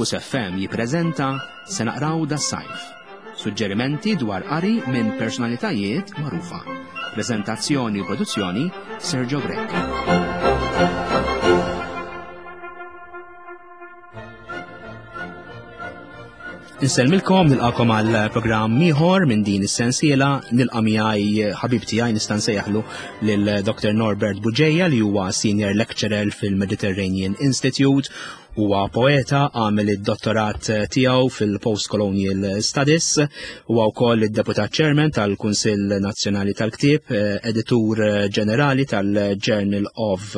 Campus FM jippreżenta Se naqraw das-sajf. Suġġerimenti dwar qari minn personalitajiet magħrufa. Preżentazzjoni u produzzjoni Sergio Grech. Insellmilkom nilqakom għal programm ieħor minn din is-sensiela nilqa' miegħi ħabib tiegħi nista' nsejjaħlu lil Dr. Norbert Buġeja li huwa senior lecturer fil-Mediterranean Institute huwa poeta, għamel id-dottorat tiegħu fil-Postcolonial Studies, huwa wkoll id-deputat chairman tal-Kunsill Nazzjonali tal-Ktieb, editur ġenerali tal-Journal of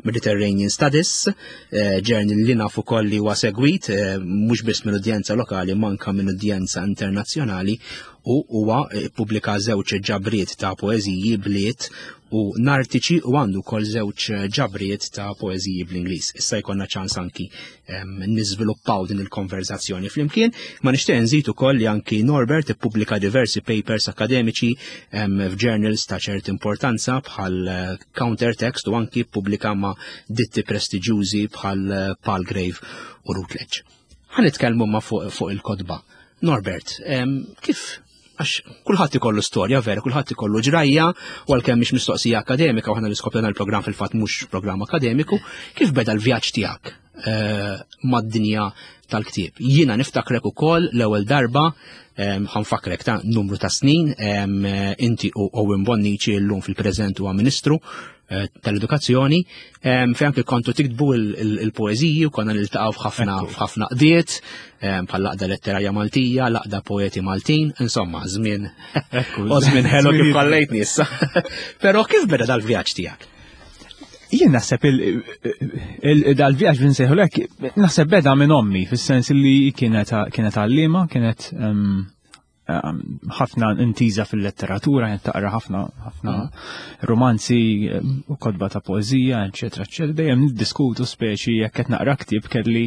Mediterranean Studies, Eh, journal li nafu koll li huwa segwit eh, mhux biss minn udjenza lokali manka minn udjenza internazzjonali u huwa eh, pubblika żewġ ġabriet ta' poeżiji bliet u nartiċi u għandu kol żewġ ġabriet ta' poeżiji bl-Ingliż. Issa jkollna ċans anki niżviluppaw din il-konverzazzjoni flimkien, ma nixtieq nżid ukoll li anki Norbert ippubblika diversi papers akademiċi f'journals ta' ċert importanza bħal countertext u anki ppubblika ma' ditti prestiġjużi bħal eh, Palgrave u Routledge. Ħa nitkellmu ma fuq fu il-kotba. Norbert, kif għax kulħadd ikollu storja vera, kulħadd ikollu ġrajja, u għalkemm mhix mistoqsija akademika u aħna l-iskop il-programm fil-fatt mhux programm akademiku, kif beda l-vjaġġ tiegħek eh, mad-dinja tal-ktieb? Jiena niftakrek ukoll l-ewwel darba ħanfakrek ta' numru ta' snin, inti u Owen Bonnici llum fil-preżent huwa Ministru eh, tal-Edukazzjoni, fejn anke kontu tiktbu il-poeżiji u konna niltaqgħu f'ħafna f'ħafna qdiet, bħal laqda letterarja Maltija, laqda poeti Maltin, insomma, żmien u żmien ħelu kif kallejtni issa. Però kif beda dal-vjaġġ tiegħek? Jien naħseb dal-vjaġġ li nsejħu lek, naħseb beda minn ommi, fis-sens li kienet għallima, kienet ħafna intiża fil-letteratura, kienet taqra ħafna ħafna mm. romanzi u kotba ta' poeżija, eċetera, eċetera. Dejjem niddiskutu speċi jekk qed naqra ktieb kelli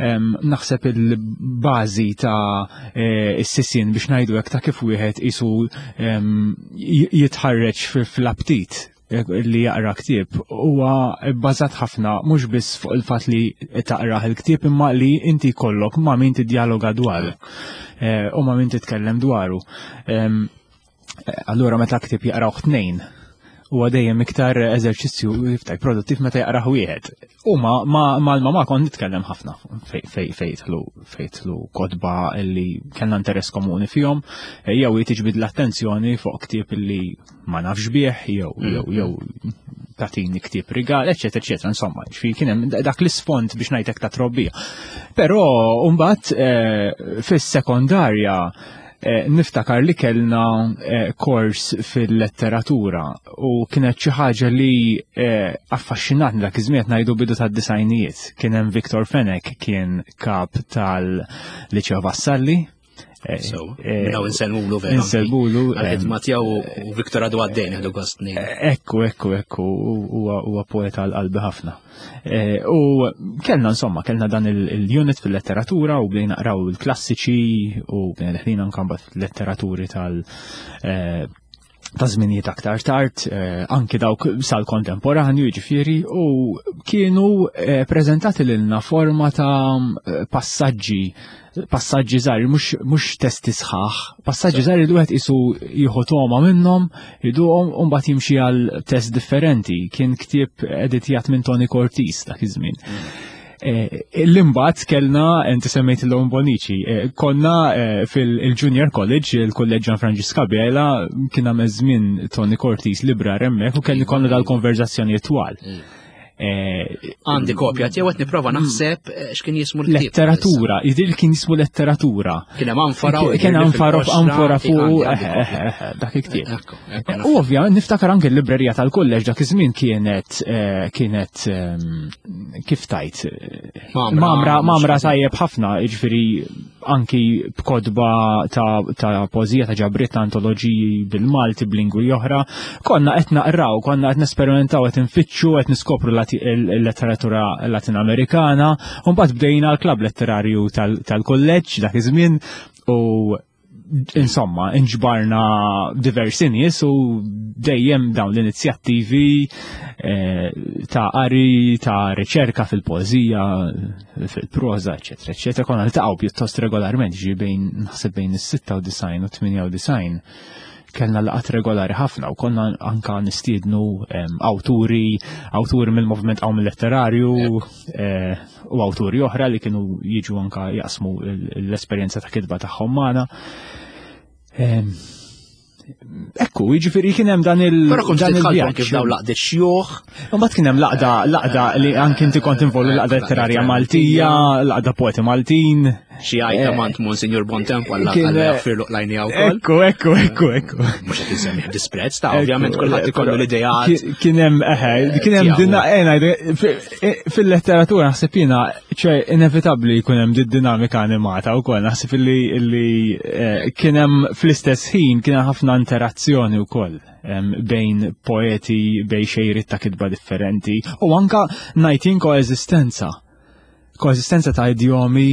naħseb il-bażi ta' e, s-sisien biex ngħidu hekk ta' kif wieħed isu jitħarreġ fl-aptit li jaqra ktieb huwa bbażat ħafna mhux biss fuq il-fatt li taqrah il-ktieb imma li inti jkollok ma' min tiddialoga dwaru eh, u ma' min titkellem dwaru. Eh, allura meta ktieb jaqrawh tnejn huwa dejjem iktar eżerċizzju iftaj produttiv meta jaqrah wieħed. U ma mal-mama kont nitkellem ħafna fejtlu fejtlu kotba li kellna interess komuni fihom, eh, jew tiġbid l-attenzjoni fuq ktieb li ma nafx bih, jew mm. jew jew tatini ktieb rigal, eċetera, eċetera, insomma, ġifieri kien hemm dak l-isfond biex ngħidlek ta' trobbija. Però mbagħad eh, fis-sekondarja eh, niftakar li kellna eh, kors fil-letteratura u kienet xi ħaġa li affaxxinatni dak iż-żmien ngħidu bidu tad-disajnijiet. Kien hemm Victor Fenech kien kap tal-Liċeo Vassalli Eh, so, eh, minnaw insellmulu vera. Insellmulu. Għal-ħidma tiegħu u Viktor għadu għaddejn għadu gost Ekku, ekku, ekku, huwa poeta għal-qalbi ħafna. Eh, u kellna insomma, kellna dan il-unit fil-letteratura u bdejna naqraw il-klassiċi u bdejna deħlin anke mbagħad letteraturi tal- ta' żminijiet aktar tard, eh, anki dawk sal-kontemporanju jiġifieri, u kienu eh, preżentati lilna forma ta' eh, passaġġi passaġġi żgħar, mhux testi sħaħ, passaġġi żgħar li wieħed isu jieħu toma minnhom, iduhom u mbagħad jimxi għal test differenti. Kien ktieb editjat minn Tony Cortis dak iż-żmien. Mm. Eh, l-imbat kellna, inti semmejt l-Owen Bonici, eh, konna eh, fil-Junior College, il-Kolleġġ Ġan Franġiska Bela, kien għamel żmien Tony Cortis libra hemmhekk u kelli konna dal-konverzazzjoni twal. Mm. Għandi kopja tiegħu qed nipprova mm. naħseb x'kien jismu l Letteratura, jidhir kien jismu letteratura. Kien hemm anfora kien anfora anfora fuq dak il-ktieb. U ovvja, niftakar anke l-librerija tal-kolleġ dak iż-żmien kienet eh, kienet ehm, kif tajt mamra mamra tajjeb ħafna, jiġifieri anki b'kodba ta', ta poeżija ta' ġabriet ta' antoloġiji bil-Malti b'lingwi oħra, konna qed naqraw, konna qed nesperimentaw qed infittxu, qed niskopru l-letteratura Latin Amerikana, u mbagħad bdejna l-klabb letterarju tal-kolleġġ dak iż-żmien u Insomma, inġbarna diversi nies u dejjem dawn l-inizjattivi eh, ta' qari, ta' riċerka fil-poeżija, fil-proża, eċetera, eċetera. Konna niltaqgħu pjuttost regolarment, ġi bejn naħseb bejn is-96 u 98 kellna laqat regolari ħafna u konna anka nistiednu awturi, awturi mill-movement għaw mill-letterarju eh, u awturi oħra li kienu jiġu anka jaqsmu l-esperjenza ta' kitba tagħhom magħna. Ekku, jiġifieri kien hemm dan il Però kont tidħalkom kif daw laqdiet xjuħ. Imbagħad kien hemm laqda laqda li anke inti kont involut laqda letterarja Maltija, laqda poeti Maltin. Xi għajta eh, mant Monsignor Bontempo għalla għalla eh, jaffirlu qlajni għaw. Ekku, ekku, ekku, ekku. Mux qed insemmi disprezz ta' ovvjament kulħadd ikollu l-ideat. Kien hemm eħe, kien hemm dinna eh, fil-letteratura naħseb jiena ċe inevitabbli jkun hemm din dinamika animata wkoll naħseb illi kien hemm fl-istess ħin kien hemm ħafna interazzjoni wkoll bejn poeti bejn xejriet ta' kitba differenti u anka ngħid koeżistenza koesistenza ta' idjomi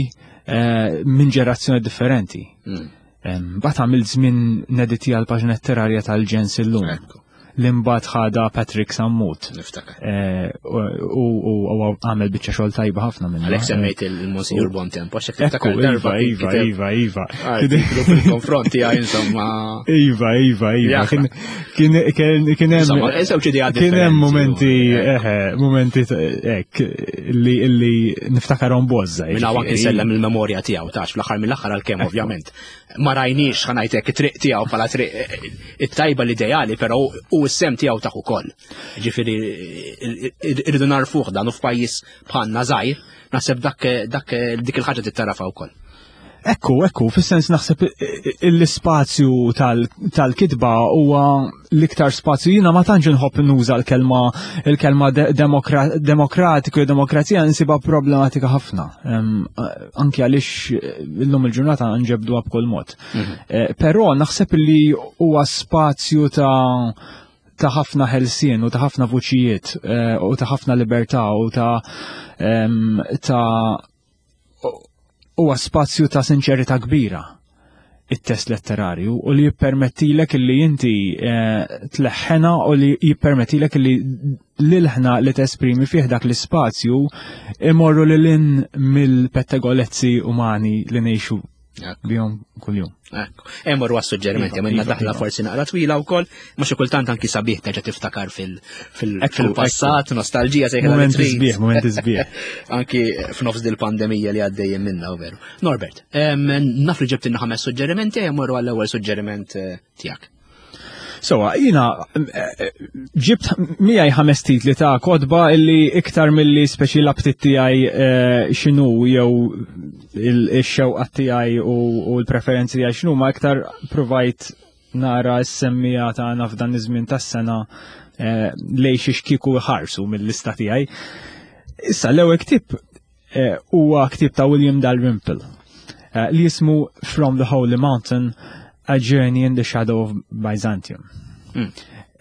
eh, minn ġerazzjoni differenti. Mm. Bat għamil żmien nediti għal paġna letterarja tal-ġens illum. Li mbagħad ħada Patrick Sammut. Niftakar. Eh, u għamel biċċa xogħol tajba ħafna minn. Għalhekk semmejt il-Monsignor Bontempo, għax tiftakar darba. Iva, iva, iva. Fil-konfront tiegħi insomma. Iva, iva, iva. Kien hemm kien hemm momenti eħe, momenti hekk li li niftakarhom bożża. Minn hawn anke nsellem il-memorja tiegħu tax fl-aħħar mill-aħħar għalkemm ovvjament. Ma rajniex ħa ngħidlek it-triq tiegħu bħala triq it-tajba l-ideali, però u s-sem tiegħu taħ ukoll. Ġifieri irridu narfuh dan u f'pajjiż bħalna żgħir, naħseb dak dak dik il-ħaġa tittarafa wkoll. Ekku, ekku, fis-sens naħseb l-ispazju tal-kitba huwa l-iktar spazju jiena ma tantx inħobb nuża l-kelma il-kelma demokratiku jew demokrazija nsibha problematika ħafna. Anki għaliex illum il-ġurnata nġebduha b'kull mod. Mhm. Eh, però naħseb li huwa spazju ta' ta' ħafna ħelsien u ta' ħafna vuċijiet eh, u ta' ħafna libertà u ta' ta' huwa spazju ta' sinċerità kbira it-test letterarju u li jippermettilek li inti eh, tleħħena u li jippermettilek li l-ħna li tesprimi fih dak l-ispazju imorru lil in mill-pettegolezzi umani li ngħixu bihom kuljum. Ekku. Emmor għas suġġerimenti, minna iva, daħla iva. forsi naqra twila wkoll, ma xi kultant anki sabiħ terġa' tiftakar fil-passat, nostalġija sejħa. Moment sbieħ, moment sbieħ. Anki f'nofs dil-pandemija li għaddejjem minna u veru. Norbert, naf li ġibtinna ħames suġġerimenti, emmor għall-ewwel suġġeriment eh, tiegħek. Sowa, jina ġibt miegħi ħames titli ta' kodba illi iktar milli speċi l-aptit tiegħi eh, x'inhu jew il-xewqa tiegħi u l-preferenzi tiegħi x'inhu ma iktar provajt nara s-semmija tagħna f'dan iż-żmien tas-sena eh, lej xi xkieku ħarsu mill-lista tiegħi. Issa l-ewwel ktieb eh, huwa ktieb ta' William Dalrymple eh, li jismu From the Holy Mountain A Journey in the Shadow of Byzantium. Hmm.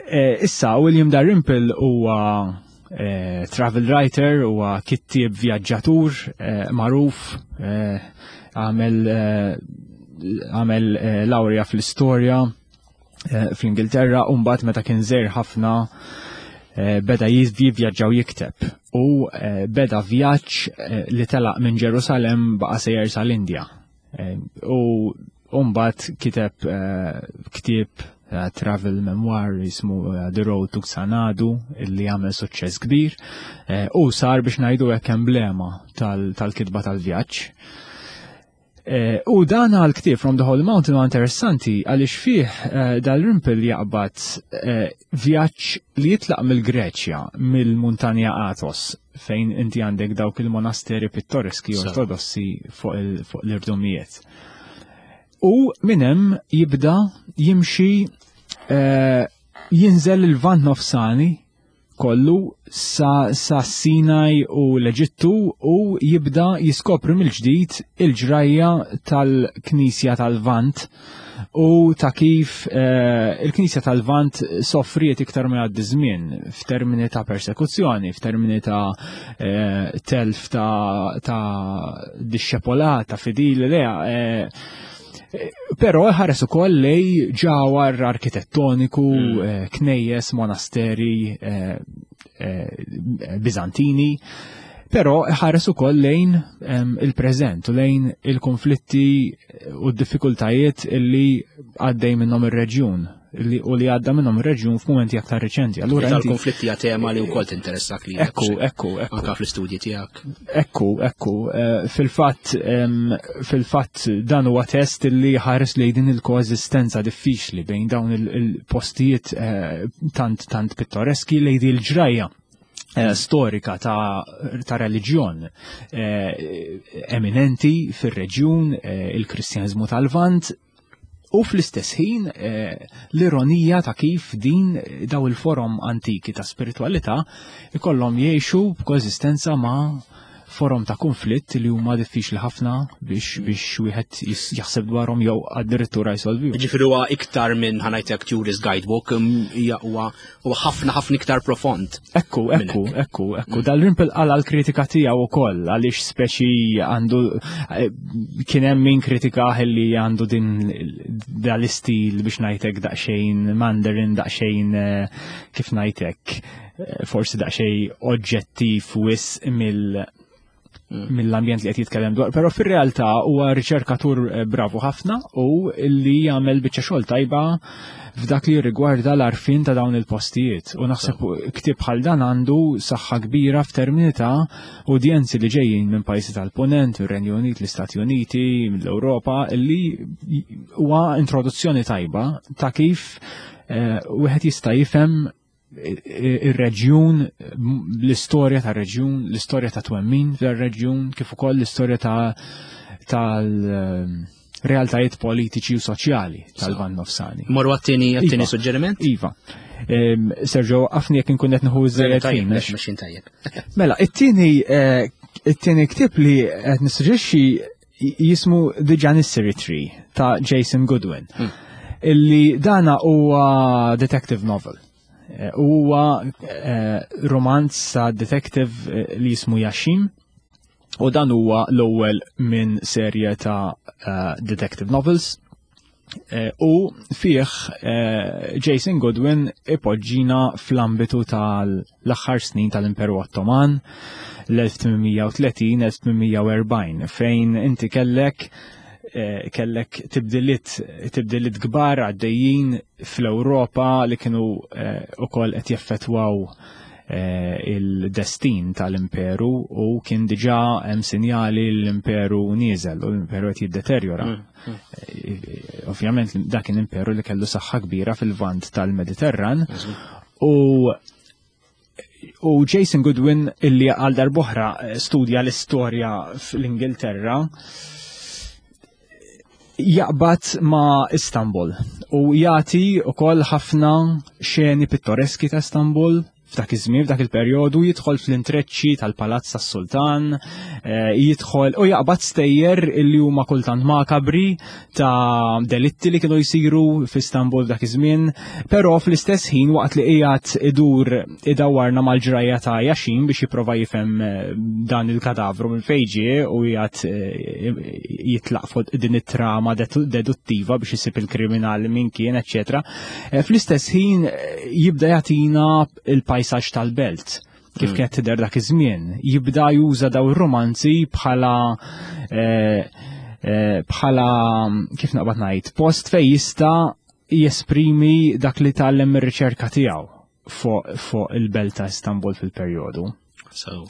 Eh, issa, William Dalrymple huwa travel writer, huwa kittieb vjaġġatur magħruf, għamel għamel laurea fl-istorja Eh, fl-Ingilterra u mbagħad meta kien żgħir ħafna eh, beda jivvjaġġaw jikteb u eh, beda vjaġġ li telaq minn Ġerusalem baqa' sejjer sal-Indja. U mbagħad kiteb ktieb travel memoir jismu The Road to Xanadu illi għamel suċċess kbir u sar biex ngħidu hekk emblema tal-kitba tal-vjaġġ. Eh, u dan għal ktieb From the Holy Mountain huwa interessanti għaliex fih eh, dal-Rimpel jaqbad eh, vjaġġ li jitlaq mill-Greċja, mill-Muntanja Athos, fejn inti għandek dawk il-monasteri pittoreski ortodossi fuq l-irdumijiet. U minn hemm jibda jimxi jinżel il-vant nofsani kollu sa, sa Sinaj u l-Eġittu u jibda jiskopri mill-ġdid il-ġrajja tal-Knisja tal-Lvant u ta' kif eh, il-Knisja tal-Lvant soffriet iktar ma jgħaddi żmien f'termini ta' persekuzzjoni, f'termini ta' eh, telf ta', ta disċepolat, ta' fidili leha. Eh, Però ħares ukoll lej ġawar arkitettoniku, knejjes, monasteri Biżantini, però ħares ukoll lejn il-preżent u lejn il-konflitti u d-diffikultajiet illi għaddej minnhom ir-reġjun li u li għadda minnhom ir-reġjun f'mumenti aktar riċenti. Allura tal-konflitti hija tema li wkoll tinteressak li. Ekku, ekku, ekku. Anka fl-istudji tiegħek. Ekku, ekku. Eh, fil-fatt fil-fatt dan huwa test li ħares lejn din il-koeżistenza diffiċli bejn dawn il-postijiet eh, tant tant pittoreski lejn din il-ġrajja eh, storika ta', ta reliġjon eminenti fir-reġjun il-Kristjaniżmu tal-Lvant U fl-istess ħin eh, l-ironija ta' kif din eh, daw il-forom antiki ta' spiritualità ikollhom jgħixu b'koeżistenza ma' forom ta' konflitt li huma diffiċli ħafna biex biex wieħed jaħseb dwarhom jew addirittura jsolvi. Ġifieri huwa iktar minn ħanajtek tourist guidebook hija huwa ħafna ħafna iktar profond. Ekku, ekku, ekku, ekku. Dal-Rimpel qala l-kritika tiegħu wkoll għaliex speċi għandu eh, kien hemm min kritika li għandu din dal-istil biex ngħidlek daqsxejn Mandarin daqsxejn eh, kif ngħidlek eh, forsi daqsxejn oġġettiv wis mill mill-ambjent li qed jitkellem dwar, però fir-realtà huwa riċerkatur eh, bravu ħafna u li jagħmel biċċa xogħol tajba f'dak li rigwarda l-arfin ta' dawn il-postijiet. U naħseb ktieb bħal dan għandu saħħa kbira f'termini ta' udjenzi li ġejjin minn pajjiżi tal-Punent, ir-Renju Unit, l-Istati Uniti, mill-Ewropa, li huwa introduzzjoni tajba ta' kif eh, wieħed jista' jifhem ir-reġjun, l-istorja ta' reġjun, l-istorja ta' twemmin fir-reġjun, kif ukoll l-istorja ta' tal-realtajiet politiċi u soċjali tal-Van Nofsani. Morru għattini għattini iva. suġġeriment? Iva. Sergio, għafni jek nkun qed nieħu żejjed ħin. Mexin tajjeb. Mela, it-tieni eh, it-tieni ktieb li qed nissuġġerixxi jismu The Janissary Tree ta' Jason Goodwin. Illi dana huwa detective novel. Eh, huwa eh, romanz ta' detective eh, li jismu Yashim. U dan huwa l-ewwel minn serje ta' detective novels. U fih Jason Goodwin ipoġġina fl-ambitu tal-aħħar snin tal-Imperu Ottoman l-1830-1840 fejn inti kellek kellek tibdiliet tibdiliet kbar għaddejjin fl-Ewropa li kienu ukoll qed jeffettwaw il-destin tal-imperu u kien diġà hemm sinjali l-imperu nieżel u l-imperu qed jiddeterjora. Mm, mm. Eh, ovvjament dak kien imperu li kellu saħħa kbira fil-vant tal-Mediterran u u Jason Goodwin illi għal darbohra eh, studja l-istorja fl-Ingilterra jaqbad ma' Istanbul u jagħti wkoll ħafna xeni pittoreski ta' Istanbul f'dak iż-żmien, f'dak il-perjodu, jidħol fl-intreċċi tal-Palazz tas-Sultan, eh, jidħol u jaqbad stejjer illi huma kultant makabri ta' delitti li kienu jsiru f'Istanbul f'dak iż-żmien, però fl-istess ħin waqt li qiegħed idur idawwarna mal-ġrajja ta' Yaxin biex jipprova jifhem eh, dan il-kadavru minn fejn ġie u qiegħed eh, jitlaq fuq din it-trama deduttiva biex isib il-kriminal min kien, eċċetera. Eh, fl-istess ħin jibda jagħtina il-pajsaġġ tal-belt kif mm. kienet tidher dak iż-żmien. Jibda juża daw ir-romanzi bħala bħala kif naqbad ngħid, post fejn jista' jesprimi dak li tgħallem mir-riċerka tiegħu fuq il-belt ta' Istanbul fil-perjodu. So.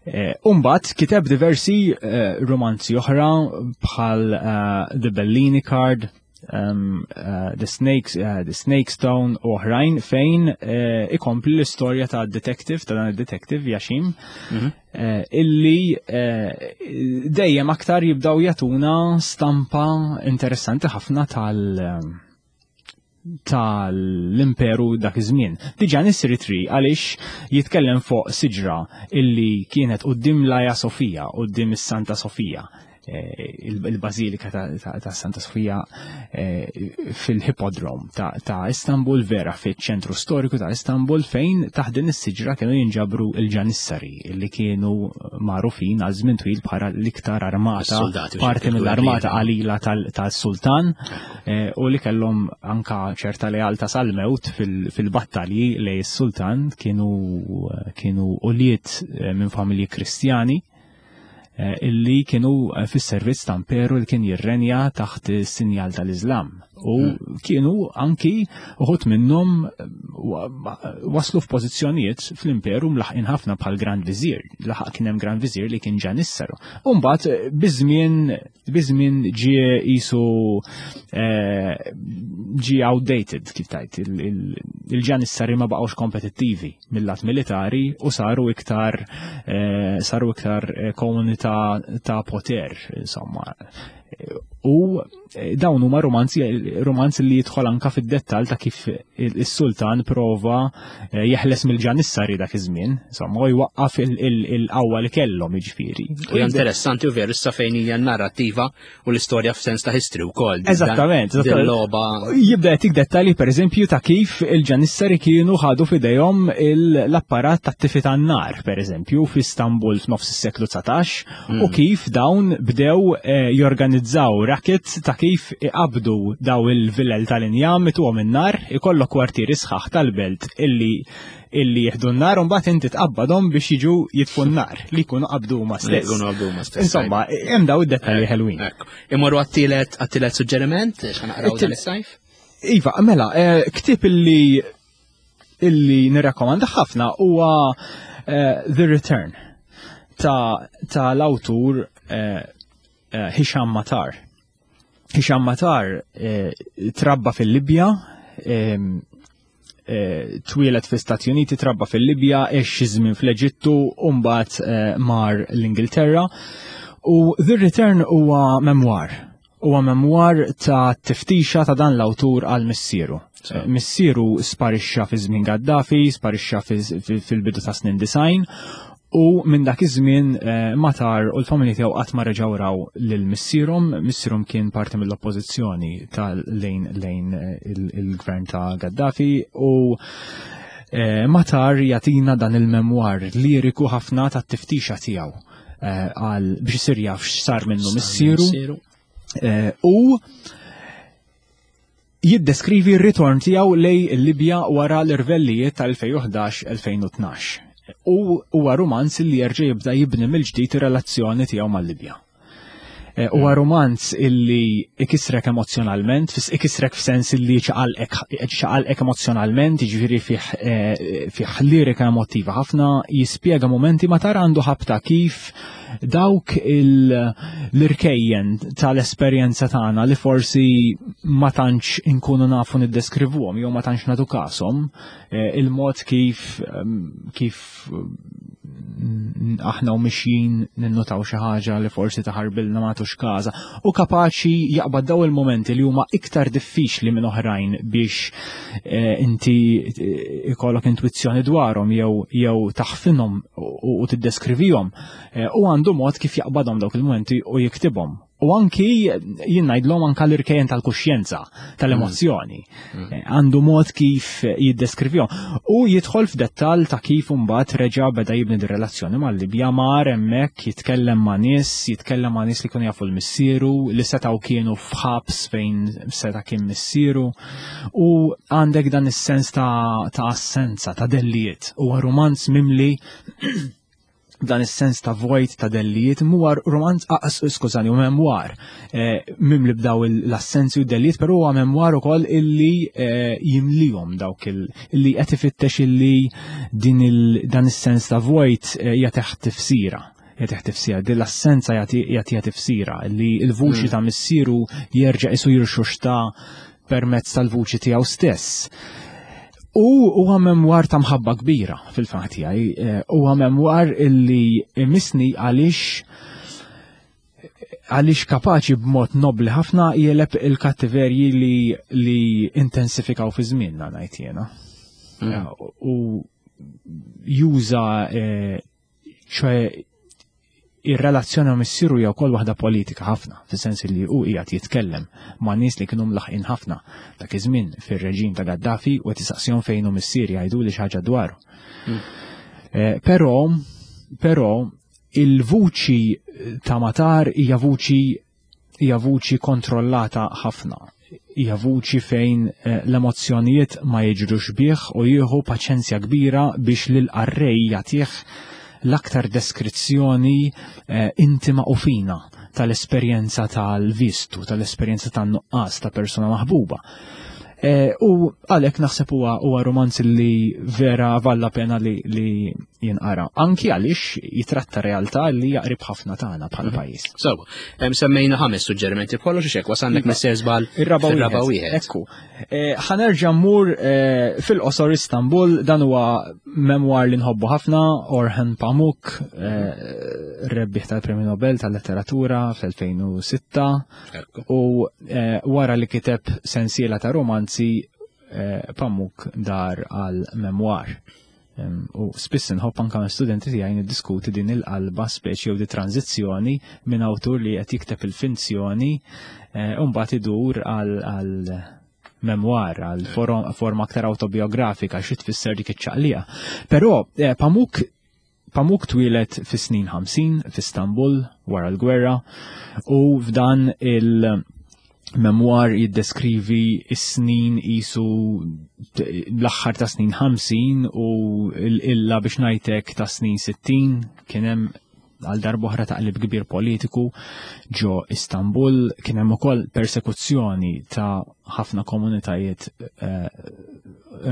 Eh, Umbat kiteb diversi eh, romanzi oħra bħal eh, The Bellini Card, um, uh, The, Snakes, uh, The Snake Stone u oħrajn fejn uh, ikompli l-istorja ta' detective, ta' dan il-detective Yashim, mm -hmm. uh, illi uh, dejjem aktar jibdaw jatuna stampa interessanti ħafna tal- um, tal-imperu dak iż-żmien. Diġà Nissiri Tree għaliex jitkellem fuq siġra illi kienet quddiem l-Aja Sofija, quddiem is-Santa Sofija. il-Bażilika ta' Santa Sofija eh, fil-Hippodrome ta' Istanbul, vera fiċ-ċentru storiku ta' Istanbul fejn taħt din is-siġra kienu jinġabru il-ġanissari li kienu magħrufin għal żmien twil bħala l-iktar armata parti mill-armata qalila tal-sultan eh, u li kellhom anka ċerta lealta sal-mewt fil-battalji lej is-sultan kienu kienu ulied eh, minn familji Kristjani Eh, illi kienu eh, fis-servizz ta' imperu li kien jirrenja taħt is-sinjal tal-Iżlam. U hmm. kienu anki uħut minnhom eh, waslu f'pożizzjonijiet fl-imperu mlaħqin ħafna bħal Grand Vizier. Laħaq kien hemm Grand Vizier li kien ġanissaru. U mbagħad biż-żmien biż-żmien ġie qisu ġie outdated kif tajt il-ġanissari ma baqgħux kompetittivi mill-lat militari u saru iktar eh, saru iktar eh, komunità ta' poter, insomma. U eh, dawn huma romanzi romanzi li jidħol anka fid-dettall ta' kif is-sultan prova jeħles mill-ġanissari dak iż-żmien, insomma, u jwaqqaf il-qawwa li kellhom jiġifieri. U interessanti u veru issa fejn hija narrattiva u l-istorja f'sens ta' history wkoll. Eżattament, logħba. Jibda jtik dettalji pereżempju ta' kif il-ġanissari kienu ħadu f'idejhom l-apparat tat-tifi tan-nar, pereżempju, f'Istanbul f'nofs is-seklu 19 u hmm. kif dawn bdew eh, jorganizzaw racket ta' kif iqabdu daw il-villel tal-injam ituhom in-nar, ikollok kwartieri sħaħ tal-belt illi illi jieħdu n-nar u mbagħad inti tqabbadhom biex jiġu jitfu n-nar li jkunu qabdu huma stess. Jkunu qabdu huma stess. Insomma, hemm daw id-dettalji ħelwin. Imorru għat-tielet għat-tielet suġġeriment x'ħanaqraw dan is-sajf? Iva, mela, eh, ktieb illi illi nirrakkomanda ħafna huwa eh, The Return ta' ta' l-awtur eh, Hisham Matar. Hisham Matar trabba fil-Libja, Eh, twieled fi Stati Uniti, trabba fil-Libja, għex xi żmien fl-Eġittu u mbagħad eh, mar l-Ingilterra. U The Return huwa memoir. Huwa memoir ta' tiftixa ta' dan l-awtur għal missieru. Eh, missieru sparixxa fi żmien Gaddafi, sparixxa fil-bidu ta' snin design U minn dak iż-żmien eh, Matar u l-familja tiegħu qatt ma reġgħu raw lil missierhom, missierhom kien parti mill-oppożizzjoni ta' lejn lejn eh, il-gvern ta' Gaddafi u eh, Matar jagħtina dan il-memwar liriku ħafna tat-tiftixa tiegħu għal biex isir jaf x'sar minnu missieru. U Jiddeskrivi r-ritorn tiegħu lejn il-Libja wara l-irvellijiet tal-2011-2012 u huwa rumanz li jerġa' jibda jibni mill-ġdid ir-relazzjoni tiegħu mal-Libja. Eh, huwa rumanz illi ikisrek emozzjonalment, ikisrek f'sens illi ċaqalqek emozzjonalment, jiġifieri fih eh, fih lirika emotiva ħafna, jispjega momenti ma tara għandu ħabta kif dawk l-irkejjen tal-esperjenza tagħna li forsi ma tantx inkunu nafu niddeskrivuhom jew ma tantx nagħtu kashom, eh, il-mod kif ehm, kif mm, aħna u mixjin ninnutaw xi ħaġa li forsi taħarbilna ma tux każa u kapaċi jaqbad daw il-momenti li huma iktar diffiċli minn oħrajn biex eh, inti eh, ikollok intuizzjoni dwarhom jew jew taħfinhom u tiddeskrivihom eh, u għandu mod kif jaqbadhom dawk il-momenti u jiktibhom. U anki jien ngħidlhom anka l-irkejjen tal-kuxjenza, tal-emozzjoni. Mm. mm. Eh, għandu mod kif jiddeskrivihom. U jidħol f'dettall ta' kif imbagħad reġa' beda jibni dir-relazzjoni mal-Libja mar hemmhekk jitkellem ma' nies, jitkellem ma' nies li kienu jafu l-missieru, li setgħu kienu f'ħabs fejn seta' kien missieru. U għandek dan is-sens ta', ta assenza, ta' dellijiet. Huwa romanz mimli dan is-sens ta' vojt ta' dellijiet huwa romanz ah, skużani, u memwar eh, mimli b'daw l-assenzi u dellijiet, però huwa memwar ukoll illi eh, jimlihom dawk illi qed ifittex illi din dan is-sens ta' vojt eh, jagħtih tifsira jagħtih tifsira, din l-assenza jagħtiha tifsira li l-vuċi mm. ta' missieru jerġa' isu jirxuxta permezz tal-vuċi tiegħu stess. U huwa memwar ta' mħabba kbira fil-fatt tiegħi, eh, huwa memwar illi imisni għaliex għaliex kapaċi b'mod nobli ħafna jeleb il-kattiverji li, li intensifikaw fi żmienna ngħid jiena. Mm. Eh, u juża eh, ċoe Ir-relazzjoni ma' missieru hija wkoll waħda politika ħafna, fis-sens li hu qiegħed jitkellem ma' nies li kienu mlaħqin ħafna dak iż-żmien fir-reġim ta' Gaddafi u qed isaqsihom fejn hu missieri jgħiduli xi ħaġa dwaru. Eh, però, però il-vuċi ta' Matar hija vuċi hija vuċi kontrollata ħafna. Hija vuċi fejn eh, l-emozzjonijiet ma jiġrux bih u jieħu paċenzja kbira biex lil qarrej jagħtih l-aktar deskrizzjoni eh, intima u fina tal-esperjenza tal-vistu, tal-esperjenza tan-nuqqas ta' persuna maħbuba. Eh, u għalhekk naħseb huwa huwa romanz li vera valla pena li, li jinqara. Anki għaliex jitratta realtà li jaqrib ħafna tagħna bħala mhm. pajjiż. Sewa, semmejna ħames suġġerimenti b'kollox xek wasalnek iva. messer żball ir-raba wieħed. Ekku. Eh, ħanerġa' mmur eh, fil-qosor Istanbul, dan huwa memwar li nħobbu ħafna, Orhan Pamuk, rebbieħ tal-Premju Nobel tal-Letteratura fl-2006. U eh, wara li kiteb sensiela ta' romanzi eh, Pamuk dar għal memoir. U spiss nħobb anka ma' studenti tiegħi niddiskuti din il-qalba speċi jew di tranzizzjoni minn awtur li qed jikteb il-finzjoni eh, u mbagħad idur għal memoir, għal forma aktar autobiografika xi tfisser dik iċ-ċaqlija. Però Pamuk Pamuk twieled fis-snin 50 f'Istanbul wara l-gwerra u f'dan il-memoir jiddeskrivi s-snin isu l-aħħar ta' snin 50 u l-illa biex ngħidlek ta' snin 60 kien hemm għal darboħra taqlib kbir politiku ġo Istanbul kien hemm ukoll persekuzzjoni ta' ħafna komunitajiet eh,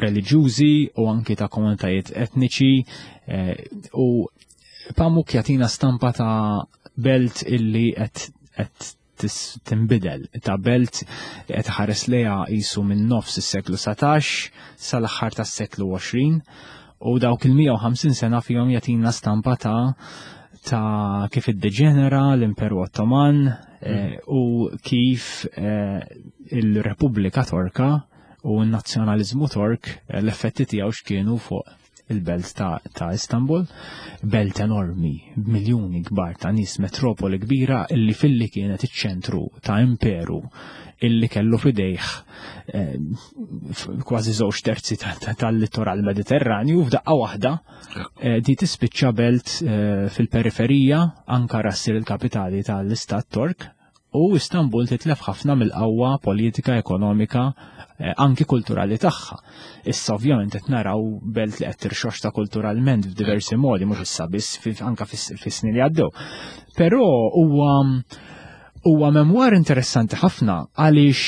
reliġjużi u anki ta' komunitajiet etniċi eh, u Pamuk jagħtina stampa ta' belt illi qed tinbidel ta' belt li qed ħares lejha qisu minn nofs is-seklu 19 sal-aħħar tas-seklu 20 u dawk il-150 sena fihom jagħtina stampa ta' ta' kif iddeġenera l-Imperu Ottoman eh, u kif eh, il-Repubblika Torka u n-nazzjonaliżmu Tork eh, l-effetti tiegħu x'kienu fuq il-belt ta', ta Istanbul, belt enormi, b'miljuni kbar ta' nies, metropoli kbira illi filli kienet iċ-ċentru ta' imperu illi kellu fidejh eh, kważi żewġ terzi tal-littoral Mediterranju f'daqqa waħda eh, di tispiċċa belt eh, fil-periferija Ankara ssir il-kapitali tal-Istat Tork u Istanbul titlef ħafna mill-qawwa politika, ekonomika, eh, anki kulturali tagħha. Issa ovvjament qed naraw belt li qed tirxoxta kulturalment f'diversi modi, mhux issa biss anka fis-snin li għaddew. Però huwa huwa memwar interessanti ħafna għaliex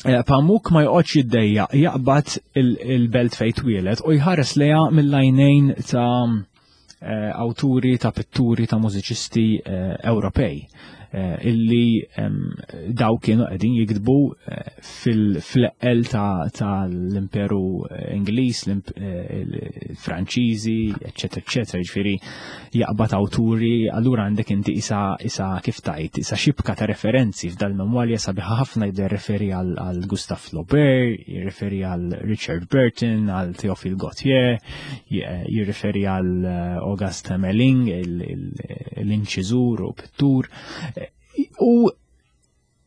eh, Pamuk ma joqgħodx jiddejjaq jaqbad il-belt fejn twieled u jħares lejha mill-għajnejn ta' eh, awturi ta' pitturi ta' mużiċisti eh, Ewropej eh, illi daw kienu qegħdin jiktbu fil-eqqel tal-Imperu Ingliż, l-Franċiżi, eċetera, eċetera, jiġifieri jaqbad awturi, allura għandek inti isa isa kif tajt, isa xibka ta' referenzi f'dal-memorja sabiħa ħafna jibda jirreferi għal Gustav Flaubert, jirreferi għal Richard Burton, għal Theophile Gautier, jirreferi għal eh, August Melling, l-inċiżur u pittur. U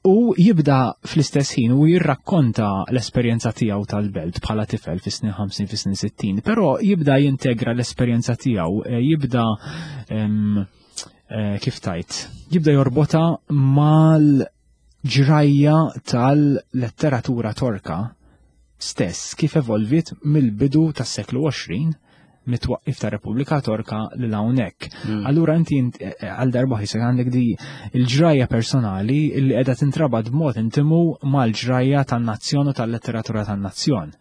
u jibda fl-istess ħin u jirrakkonta l-esperjenza tiegħu tal-belt bħala tifel fis-snin 50 fis-snin 60, però jibda jintegra l-esperjenza tiegħu, eh, jibda eh, kif tajt, jibda jorbota mal ġrajja tal-letteratura Torka stess kif evolviet mill-bidu tas-seklu 20 mit-twaqqif ta' Repubblika Torka lil hawnhekk. Allura inti eh, eh, għal darba ħisek għandek di l-ġrajja personali li qiegħda tintrabat b'mod intimu mal-ġrajja tan-nazzjon u tal-letteratura tan-nazzjon.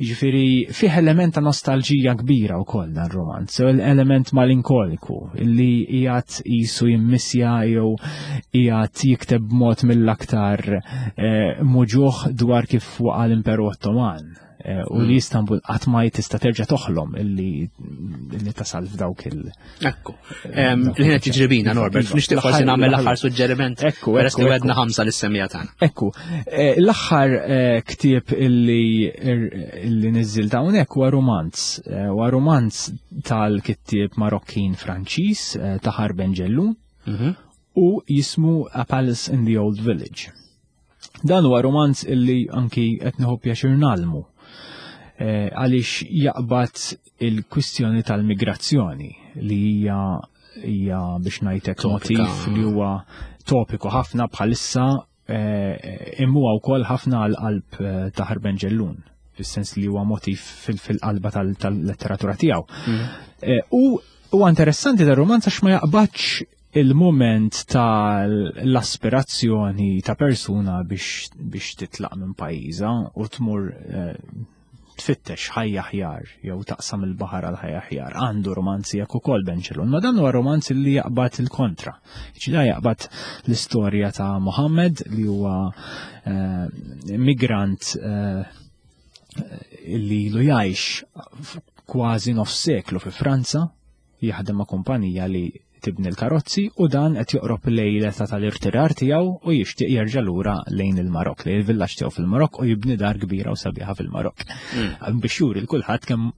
Jiġifieri fih element ta' nostalġija kbira wkoll dan romanz, element malinkoliku li qiegħed qisu jimmissja jew qiegħed jikteb b'mod mill-aktar eh, muġuħ dwar kif waqa' l-Imperu Ottoman eh, u li hmm. Istanbul qatt ma tista' terġa' toħlom illi li tasal f'dawk il- Ekku. Il-ħin qed jiġri bina, Norbert, Iva. nixtieq forsi nagħmel l-aħħar suġġeriment. Ekku, Peress li ekku, wedna ħamsa lis-semija tagħna. Ekku, eh, l-aħħar eh, ktieb illi illi niżżilt hawnhekk huwa romanz. Eh, Huwa romanz tal-kittieb Marokkin Franċiż eh, Tahar Ben Jelloun u jismu A Palace in the Old Village. Dan huwa romanz illi anki qed nieħu pjaċir nagħlmu eh, għaliex jaqbad il-kwistjoni tal-migrazzjoni li hija hija biex ngħidlek Topika. motiv li huwa topiku ħafna bħalissa eh, imma huwa wkoll ħafna għal qalb eh, Tahar Ben Jelloun fis-sens li huwa motiv fil- fil-qalba tal- tal-letteratura tiegħu. Eh, U huwa interessanti dar romanz għax ma jaqbadx il-moment tal-aspirazzjoni ta' persuna biex, biex titlaq minn pajjiżha u tmur eh, tfittex ħajja aħjar jew taqsam il-baħar għal ħajja aħjar. Għandu romanzi jekk ukoll Ben Jelloun, ma dan huwa romanz li jaqbad il-kontra. Ġida jaqbad l-istorja ta' Mohammed li huwa eh, migrant eh, li ilu jgħix kważi nofs seklu fi Franza, jaħdem ma' kumpanija li tibni l-karozzi u dan qed joqrob lejn l-età tal-irtirar tiegħu u jixtieq jerġa' lura lejn il-Marok, lejn il-villaġġ tiegħu fil-Marok u jibni dar kbira u sabiħa fil-Marok. Biex juri l kulħadd kemm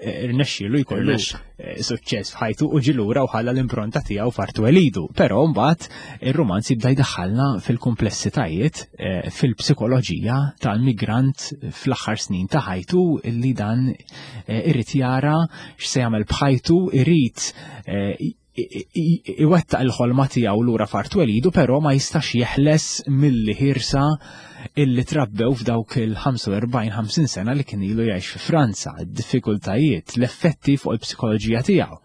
eh, irnexxielu jkollu Irnexxa. eh, suċċess f'ħajtu u ġie lura u ħalla l-impronta tiegħu f'art twelidu. Però mbagħad ir-romanz jibda jdaħħalna fil-komplessitajiet, eh, fil-psikoloġija tal-migrant fl-aħħar snin ta' ħajtu illi dan eh, irid jara x'se jagħmel b'ħajtu, irid eh, i- i- iwettaq il-ħolma tiegħu lura f'art twelidu, però ma jistax jeħles milli ħirsa illi trabbew f'dawk il-45-50 sena li kien ilu jgħix fi Franza, id-diffikultajiet, l-effetti fuq il-psikoloġija tiegħu.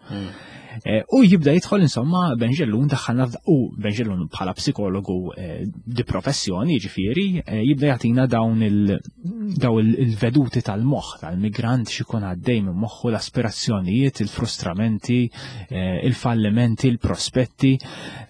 Eh, U jibda jidħol insomma Ben Jelloun daħħalna f'da- u Ben Jelloun bħala psikologu eh, di professjoni ġifieri eh, jibda jagħtina dawn il daw il- il-veduti tal-moħħ tal-migrant x'ikun għaddej minn moħħu l-aspirazzjonijiet, il-frustramenti, eh, il-fallimenti, il-prospetti.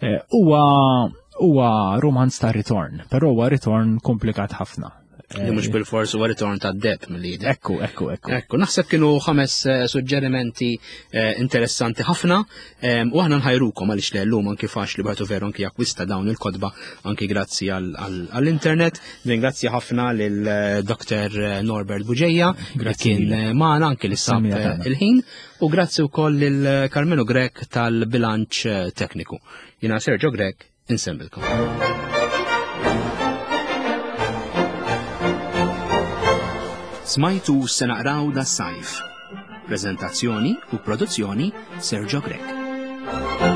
Eh, Huwa huwa romanz ta' ritorn, però huwa ritorn komplikat ħafna. Li mhux bil-fors huwa ritorn tad-deb mill-lider. Ekku, ekku, ekku. Ekku, naħseb kienu ħames eh, suġġerimenti eh, interessanti ħafna em, u aħna nħajrukom għaliex li llum anki faċli bħatu veru anki jakkwista dawn il-kotba anki grazzi għall- għall-internet. Ringrazzja ħafna lil eh, Dr. Norbert Bugeja li Grazzi kien lilek. eh, magħna anki li sab Samija eh, tagħna. il-ħin u grazzi wkoll lil eh, Carmelo Grech tal-bilanċ eh, tekniku. Jiena Sergio Grech, insemmilkom. Smajtu se naqraw da sajf. Prezentazzjoni u produzzjoni Sergio Grech.